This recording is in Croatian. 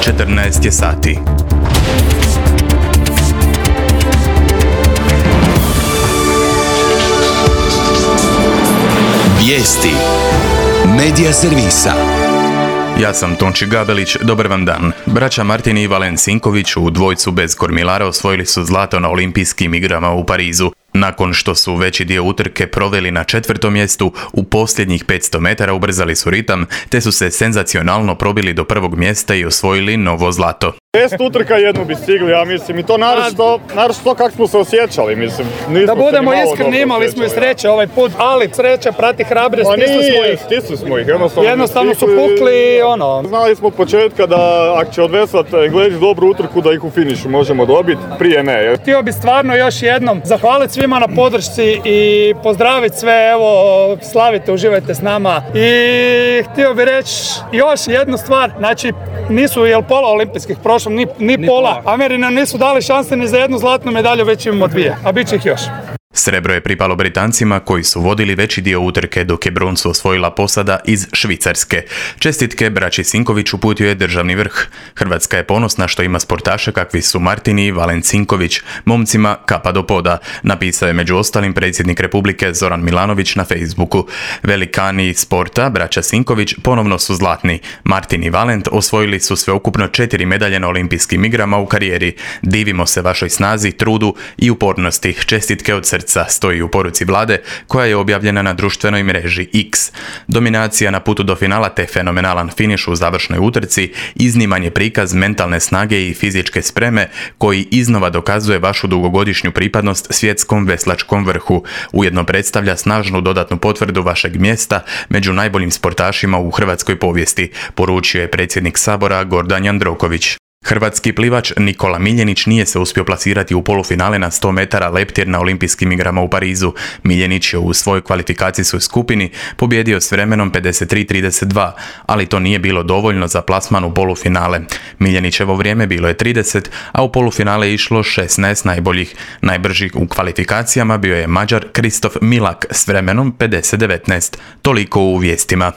14 je sati. Vijesti Medija servisa. Ja sam Tonči Gabelić, dobar vam dan. Braća Martin i Valen Sinković u dvojcu bez kormilara osvojili su zlato na olimpijskim igrama u Parizu. Nakon što su veći dio utrke proveli na 4. mjestu, u posljednjih 500 metara ubrzali su ritam, te su se senzacionalno probili do 1. mjesta i osvojili novo zlato. 10 utrka jednu bi stigli, ja mislim, i to naročito kako smo se osjećali, mislim. Da budemo iskreni, imali smo i sreće ovaj put, ali sreća prati hrabre, stisli smo ih, jednostavno su pukli, Znali smo od početka da ako će odvesat Englezi dobru utrku, da ih u finišu možemo dobiti, prije ne. Htio bi stvarno još jednom zahvaliti svima na podršci i pozdraviti sve, evo, slavite, uživajte s nama. I htio bi reći još jednu stvar, znači nisu pola olimpijskih prošlo, ni pola. Ameri nam nisu dali šanse ni za jednu zlatnu medalju, već imamo 2, a bit će ih još. Srebro je pripalo Britancima koji su vodili veći dio utrke, dok je broncu osvojila posada iz Švicarske. Čestitke braći Sinković uputio je državni vrh. Hrvatska je ponosna što ima sportaše kakvi su Martin i Valen Sinković, momcima kapa do poda, napisao je među ostalim predsjednik Republike Zoran Milanović na Facebooku. Velikani sporta, braća Sinković, ponovno su zlatni. Martin i Valent osvojili su sveukupno 4 medalje na olimpijskim igrama u karijeri. Divimo se vašoj snazi, trudu i upornosti. Čestitke od srca, stoji u poruci vlade koja je objavljena na društvenoj mreži X. Dominacija na putu do finala te fenomenalan finiš u završnoj utrci izniman je prikaz mentalne snage i fizičke spreme koji iznova dokazuje vašu dugogodišnju pripadnost svjetskom veslačkom vrhu. Ujedno predstavlja snažnu dodatnu potvrdu vašeg mjesta među najboljim sportašima u hrvatskoj povijesti, poručio je predsjednik Sabora Gordan Jandroković. Hrvatski plivač Nikola Miljenić nije se uspio plasirati u polufinale na 100 metara leptir na olimpijskim igrama u Parizu. Miljenić je u svojoj kvalifikacijskoj skupini pobjedio s vremenom 53:32, ali to nije bilo dovoljno za plasman u polufinale. Miljenićevo vrijeme bilo je 30, a u polufinale je išlo 16 najboljih. Najbržih u kvalifikacijama bio je Mađar Kristof Milak s vremenom 50:19. Toliko u vijestima.